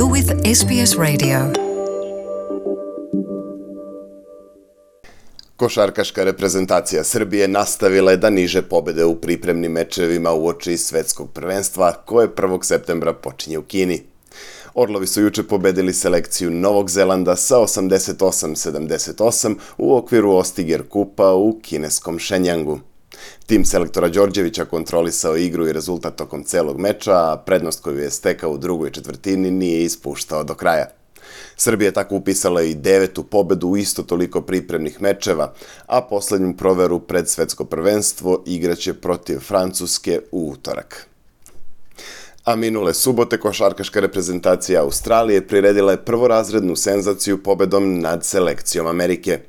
You're with SBS Radio. Košarkaška reprezentacija Srbije nastavila je da niže pobede u pripremnim mečevima uoči svetskog prvenstva koje 1. septembra počinje u Kini. Orlovi su juče pobedili selekciju Novog Zelanda sa 88-78 u okviru Ostiger kupa u kineskom Šenjangu. Tim selektora Đorđevića kontrolisao igru i rezultat tokom celog meča, a prednost koju je stekao u drugoj četvrtini nije ispuštao do kraja. Srbija je tako upisala i 9. pobedu u isto toliko pripremnih mečeva, a poslednju proveru pred svetsko prvenstvo igraće protiv Francuske u utorak. A minule subote košarkaška reprezentacija Australije priredila je prvorazrednu senzaciju pobedom nad selekcijom Amerike.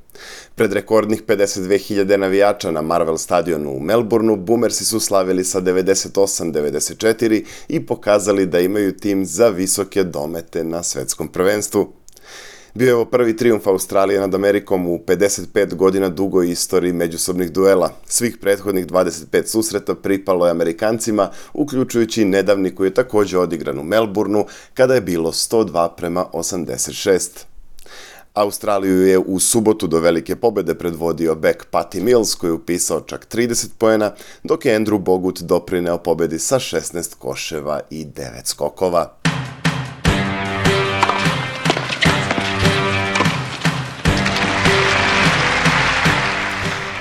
Pred rekordnih 52.000 navijača na Marvel stadionu u Melbourneu, Boomersi su slavili sa 98-94 i pokazali da imaju tim za visoke domete na svetskom prvenstvu. Bio je ovo prvi trijumf Australije nad Amerikom u 55 godina dugoj istoriji međusobnih duela. Svih prethodnih 25 susreta pripalo je Amerikancima, uključujući nedavni koji je također odigran u Melbourneu, kada je bilo 102-86. Australiju je u subotu do velike pobede predvodio bek Patty Mills koji je upisao čak 30 poena, dok je Andrew Bogut doprineo pobedi sa 16 koševa i 9 skokova.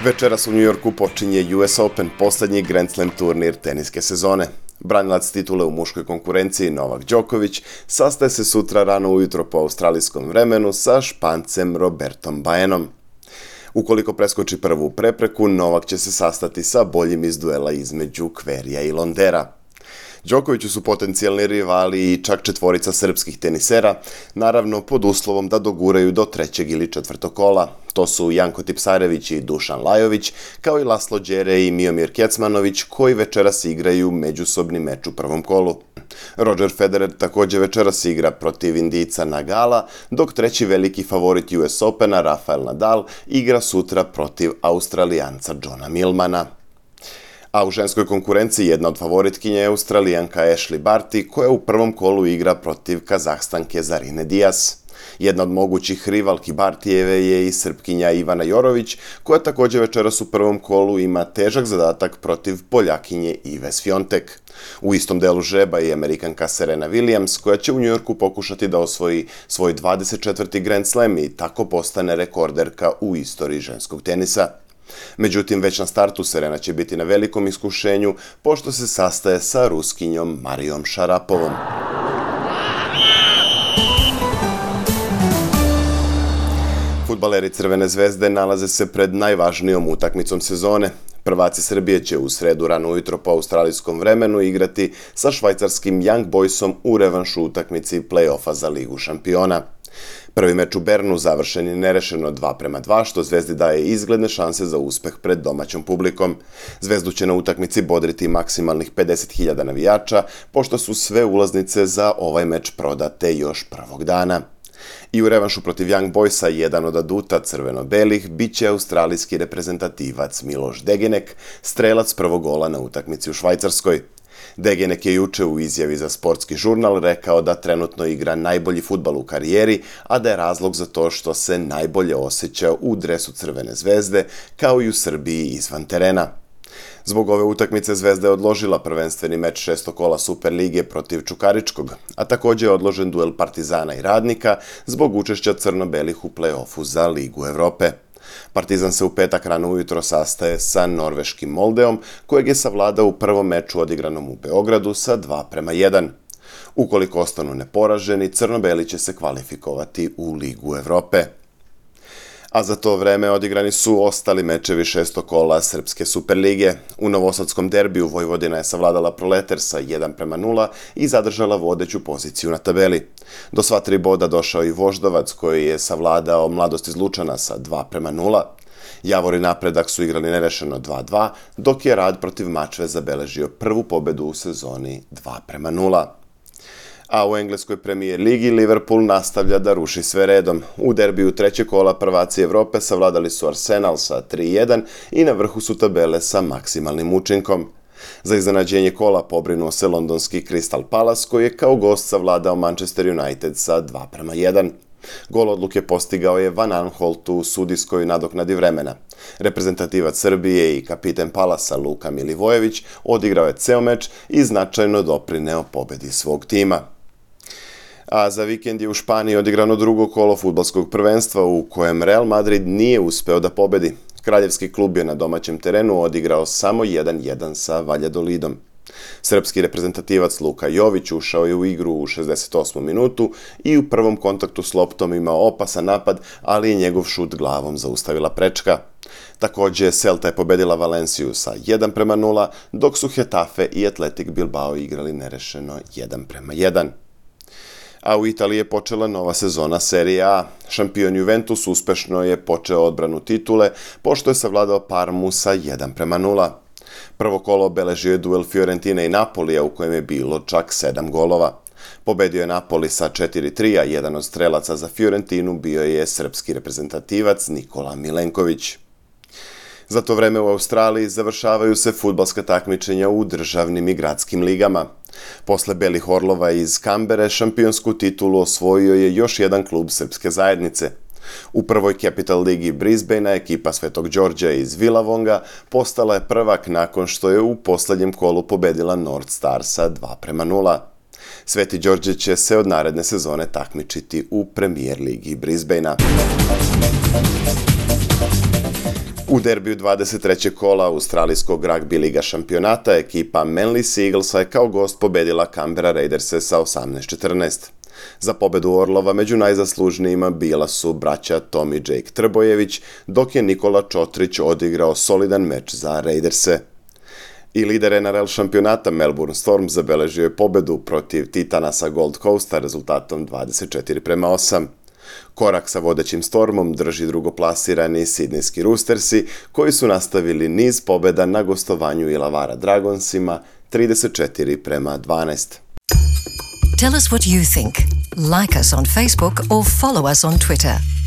Večeras u New Yorku počinje US Open, poslednji Grand Slam turnir teniske sezone. Branilac titule u muškoj konkurenciji Novak Đoković sastaje se sutra rano ujutro po australijskom vremenu sa Špancem Robertom Baenom. Ukoliko preskoči prvu prepreku, Novak će se sastati sa boljim iz duela između Kverija i Londera. Đokoviću su potencijalni rivali i čak četvorica srpskih tenisera, naravno pod uslovom da doguraju do 3. ili 4. kola. To su Janko Tipsarević i Dušan Lajović, kao i Laslo Đere i Miomir Kecmanović, koji večeras igraju međusobni meč u prvom kolu. Roger Federer također večeras igra protiv Indijca Nagala, dok treći veliki favorit US Opena, Rafael Nadal, igra sutra protiv Australijanca Johna Millmana. A u ženskoj konkurenciji jedna od favoritkinja je Australijanka Ashley Barty, koja u prvom kolu igra protiv Kazahstanke Zarine Diaz. Jedna od mogućih rivalki Bartijeve je i Srpkinja Ivana Jorović, koja također večeras u prvom kolu ima težak zadatak protiv Poljakinje Ive Swiatek. U istom delu žreba i Amerikanka Serena Williams, koja će u New Yorku pokušati da osvoji svoj 24. Grand Slam i tako postane rekorderka u istoriji ženskog tenisa. Međutim, već na startu Serena će biti na velikom iskušenju, pošto se sastaje sa Ruskinjom Marijom Šarapovom. Fudbaleri Crvene zvezde nalaze se pred najvažnijom utakmicom sezone. Prvaci Srbije će u sredu rano ujutro po australijskom vremenu igrati sa švajcarskim Young Boysom u revanšu utakmici play-offa za Ligu šampiona. Prvi meč u Bernu završen je nerešeno 2:2, što Zvezdi daje izgledne šanse za uspeh pred domaćom publikom. Zvezdu će na utakmici bodriti maksimalnih 50.000 navijača, pošto su sve ulaznice za ovaj meč prodate još prvog dana. I u revanšu protiv Young Boysa jedan od aduta crveno-belih bit će australijski reprezentativac Miloš Degenek, strelac prvog gola na utakmici u Švajcarskoj. Degenek je juče u izjavi za sportski žurnal rekao da trenutno igra najbolji fudbal u karijeri, a da je razlog za to što se najbolje osjeća u dresu Crvene zvezde, kao i u Srbiji izvan terena. Zbog ove utakmice Zvezda je odložila prvenstveni meč 6. kola Superlige protiv Čukaričkog, a također je odložen duel Partizana i Radnika zbog učešća crno-belih u play-offu za Ligu Evrope. Partizan se u petak rano ujutro sastaje sa norveškim Moldeom, kojeg je savladao u prvom meču odigranom u Beogradu sa 2:1. Ukoliko ostanu neporaženi, crno-beli će se kvalifikovati u Ligu Evrope. A za to vreme odigrani su ostali mečevi 6. kola Srpske Superlige. U novosadskom derbiju Vojvodina je savladala Proleter sa 1:0 i zadržala vodeću poziciju na tabeli. Do sva 3 boda došao i Voždovac, koji je savladao Mladost iz Lučana sa 2:0. Javor i Napredak su igrali nerešeno 2:2, dok je Rad protiv Mačve zabeležio prvu pobedu u sezoni 2:0. A u engleskoj Premier ligi Liverpool nastavlja da ruši sve redom. U derbiju trećeg kola prvaci Evrope savladali su Arsenal sa 3:1 i na vrhu su tabele sa maksimalnim učinkom. Za iznenađenje kola pobrinuo se londonski Crystal Palace koji je kao gost savladao Manchester United sa 2:1. Gol odluke postigao je Van Aanholt u sudijskoj nadoknadi vremena. Reprezentativac Srbije i kapiten Palasa Luka Milivojević odigrao je ceo meč i značajno doprineo pobedi svog tima. A za vikend je u Španiji odigrano drugo kolo fudbalskog prvenstva u kojem Real Madrid nije uspeo da pobedi. Kraljevski klub je na domaćem terenu odigrao samo 1:1 sa Valladolidom. Srpski reprezentativac Luka Jović ušao je u igru u 68. minutu i u prvom kontaktu s loptom imao opasan napad, ali je njegov šut glavom zaustavila prečka. Takođe, Celta je pobedila Valenciju sa 1:0, dok su Getafe i Athletic Bilbao igrali nerešeno 1:1. A u Italiji je počela nova sezona Serie A. Šampion Juventus uspešno je počeo odbranu titule, pošto je savladao Parmu sa 1:0. Prvo kolo obeležio je duel Fiorentina i Napolija u kojem je bilo čak 7 golova. Pobedio je Napoli sa 4:3, a jedan od strelaca za Fiorentinu bio je srpski reprezentativac Nikola Milenković. Za to vreme u Australiji završavaju se fudbalska takmičenja u državnim i gradskim ligama. Posle Belih Orlova iz Kambere šampionsku titulu osvojio je još jedan klub srpske zajednice. U prvoj Capital Ligi Brisbanea ekipa Svetog Đorđa iz Villavonga postala je prvak nakon što je u poslednjem kolu pobedila North Star sa 2:0. Sveti Đorđe će se od naredne sezone takmičiti u Premier Ligi Brisbanea. U derbiju 23. kola australijskog ragbi liga šampionata ekipa Manly Seaglesa je kao gost pobedila Canberra Raiderse sa 18:14. Za pobedu Orlova među najzaslužnijima bila su braća Tom i Jake Trbojević, dok je Nikola Čotrić odigrao solidan meč za Raiderse. I lider NRL šampionata Melbourne Storm zabeležio je pobedu protiv Titana sa Gold Coasta rezultatom 24:8. Korak sa vodećim Stormom drži drugoplasirani Sidnejski Roostersi, koji su nastavili niz pobeda na gostovanju Illawarra Dragonsima 34:12. Tell us what you think. Like us on Facebook or follow us on Twitter.